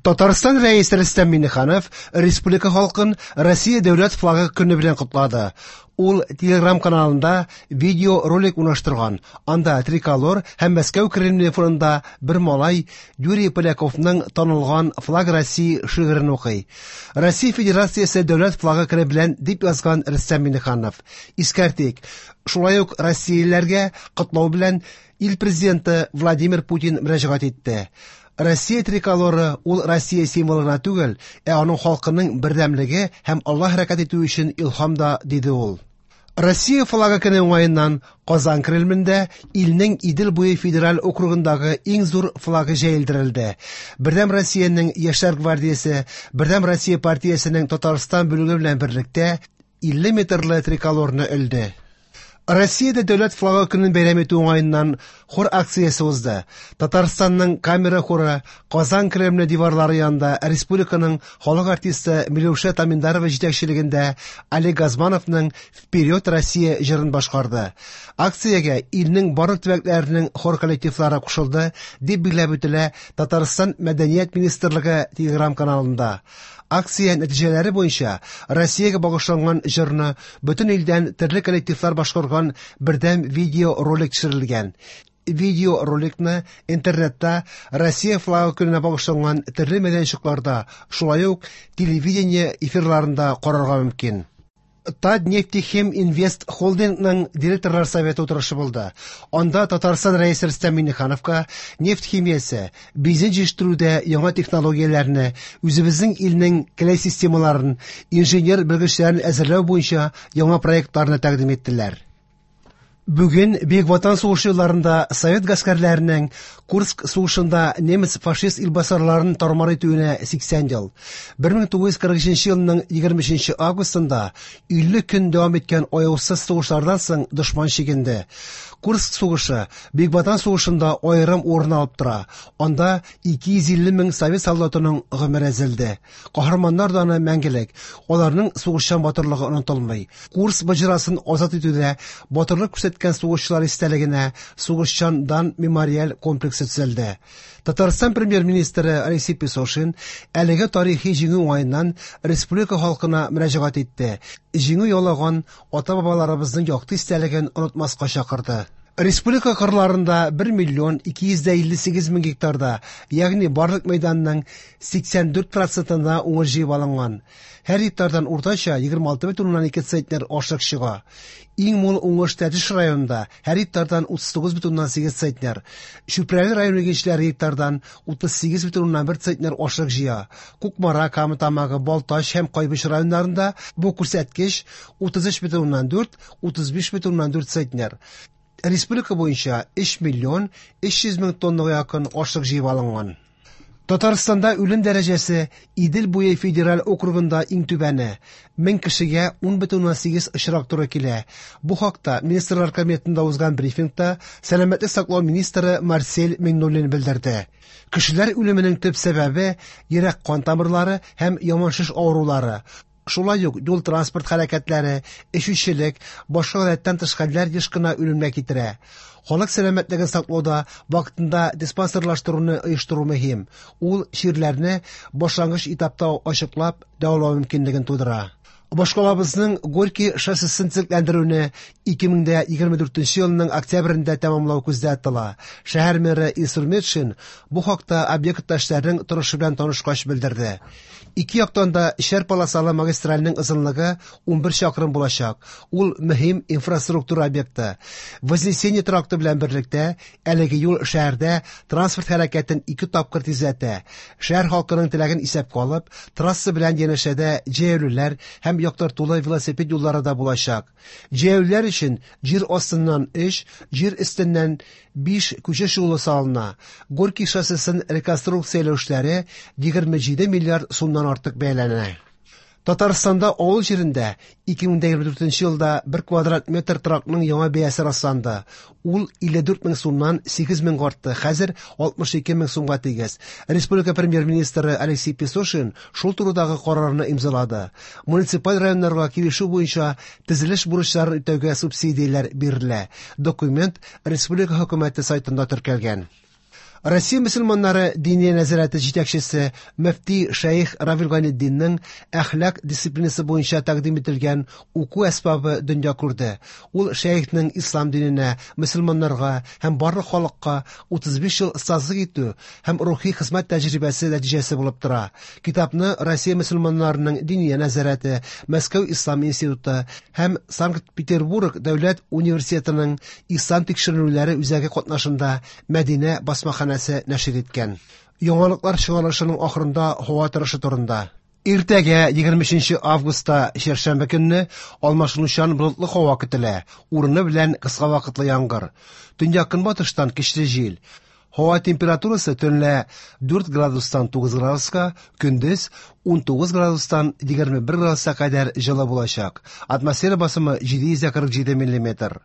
Татарстан Рәисе Рөстәм Миңнеханов республика халкын Россия дәүләт флагы көне белән котлады. Ул Telegram каналында видеоролик урнаштырган. Анда триколор һәм Мәскәү Кремле фонында бер малай Юрий Поляковның танылган «Флаг России» шигырен укый. Россия Федерациясе дәүләт флагы көне белән дип язган Рөстәм Миңнеханов. Искәртик, шулай ук россиялеләргә котлау белән ил президенты Владимир Путин мөрәҗәгать итте. Россия триколоры ул Россия символы гына түгел, ә аның халкының бердәмлеге һәм алга хәрәкәт итү өчен илһам да, диде ул. Россия флагы көне уңаеннан Казан Кремлендә илнең Идел буе федераль округындагы иң зур флагы җәелдерелде. Бердәм Россиянең Яшьләр гвардиясе, Бердәм Россия партиясенең Татарстан бүлеге белән берлектә 50 метрлы триколорны элде. Россиядә дәүләт флагы көнен бәйрәм итү уңаеннан хор акциясе узды. Татарстанның камера хоры Казан Кремле диварлары янында республиканың халык артисты Миләүшә Таминдарова җитәкчелегендә Олег Газмановның «Вперед, Россия» җырын башкарды. Акциягә илнең барлык төбәкләренең хор коллективлары кушылды, дип билгеләп үтелә Татарстан Мәдәният министрлыгы Телеграм-каналында. Акция нәтиҗәләре буенча Россиягә багышланган җырны бөтен илдән төрле коллективлар башкарган бердәм видеоролик төшерелгән. Видеороликны интернетта Россия флагы көненә багышланган төрле мәйданчыкларда, шулай ук телевидение эфирларында карарга мөмкин. Татнефтехим Инвест холдингның директорлар советы утырышы булды. Анда Татарстан Рәисе Рөстәм Миңнехановка нефть химиясе, бензин җитештерүдә яңа технологияләрне, үзебезнең илнең келәй системаларын, инженер белгечләрен әзерләү буенча яңа проектларны тәкъдим иттеләр. Бүген Бөек Ватан сугышы елларында совет гаскәрләренең Курск сугышында немец фашист илбасарларын тармар итүенә 80 ел. 1943 елның 23 августында 50 көн дәвам иткән аяусыз сугышлардан соң дошман чигенде. Курск сугышы Бөек Ватан сугышында аерым урын алып тора. Анда 250 мең совет солдатының гомере өзелде. Каһарманнар даны мәңгелек, аларның сугышчан батырлыгы онытылмый. Курск боҗрасын азат итүдә батырлык күрсәткән сугышчылар истәлегенә Сугышчан дан мемориаль комплексы төзелде. Татарстан премьер-министры Алексей Песошин әлеге тарихи җиңү уңаеннан республика халкына мөрәҗәгать итте. Җиңү яулаган ата-бабаларыбызның якты истәлеген онытмаска чакырды. Республика кырларында 1 миллион 258 мең гектарда, ягъни барлык мәйданның 84 процентында уңыш җыеп алынган. Һәр гектардан уртача 26,2 центнер ашлык чыга. Иң мул уңыш Тәтеш районында, һәр гектардан 39,8 центнер. Чүпрәле районы игенчеләре гектардан 38,1 центнер ашлык җыя. Кукмара, Кама Тамагы, Балтач һәм Кайбыч районнарында бу күрсәткеч 33,4, 35,4 центнер. Республика буенча 3 миллион 300 мең тоннага якын ашлык җыеп алынган. Татарстанда үлем дәрәҗәсе Идел буе федераль округында иң түбәне. 1000 кешегә 10,8 очрак туры килә. Бу хакта Министрлар Кабинетында узган брифингта сәламәтлек саклау министры Марсель Миңнуллин белдерде. Кешеләр үлеменең төп сәбәбе йөрәк-кан тамырлары һәм яман шеш авырулары. Шулай ук юл-транспорт хәрәкәтләре, эчүчелек, башка гадәттән тыш хәлләр еш кына үлемгә китерә. Халык сәламәтлеген саклауда вакытында диспансерлаштыруны оештыру мөһим. Ул чирләрне башлангыч этапта ачыклап, дәвалау мөмкинлеген тудыра. Башкалабызның Горький шоссесын төзекләндерүне 2024 елның октябрендә тәмамлау күздә тотыла. Шәһәр мэры Илсур Метшин бу хакта объектта эшләрнең торышы белән танышкач белдерде. Ике яктан да өчәр полосалы магистральның озынлыгы 11 чакрым булачак. Ул мөһим инфраструктура объекты. Вознесение тракты белән берлектә әлеге юл шәһәрдә транспорт хәрәкәтен 2 тапкыр тизләтә. Шәһәр халкының теләген исәпкә алып, трасса белән янәшәдә җәяүлеләр һәм яктыртулы велосипед юллары да булачак. Җәяүлеләр өчен җир астыннан 3, җир өстеннән 5 күчеш юлы салына. Горький шоссесын реконструкцияләү эшләре 27 миллиард сумнан артык бәяләнә. Татарстанда авыл җирендә 2024 елда 1 квадрат метр торакның яңа бәясе расланды. Ул 54 мең сумнан 8 меңгә артты, хәзер 62 мең сумга тигез. Республика премьер-министры Алексей Песошин шул турыдагы карарны имзалады. Муниципаль районнарга килешү буенча төзелеш бурычларын үтәүгә субсидияләр бирелә. Документ республика хөкүмәте сайтында теркәлгән. Россия мөселманнары Диния нәзарәте җитәкчесе мөфти шәех Равил Гайнетдинның әхлак дисциплинасы буенча тәкъдим ителгән уку әсбабы дөнья күрде. Ул шәехнең ислам диненә, мөселманнарга һәм барлык халыкка 35 ел остазлык итү һәм рухи хезмәт тәҗрибәсе нәтиҗәсе булып тора. Китапны Россия мөселманнарының Диния нәзарәте, Мәскәү ислам институты һәм Санкт-Петербург дәүләт университетының ислам тикшеренүләре үзәге катнашында Мәдинә басмаханәсе нәшир иткән. Яңалыклар чыгарылышының ахырында һава торышы турында. Иртәгә 23 августта чәршәмбе көнне алмашынучан болытлы һава көтелә. Урыны белән кыска вакытлы яңгыр. Төньяк-көнбатыштан көчле җил. Һава температурасы төнлә 4 градустан 9 градуска, көндез 19 градустан 21 градуска кадәр җылы булачак. Атмосфера басымы 747 миллиметр.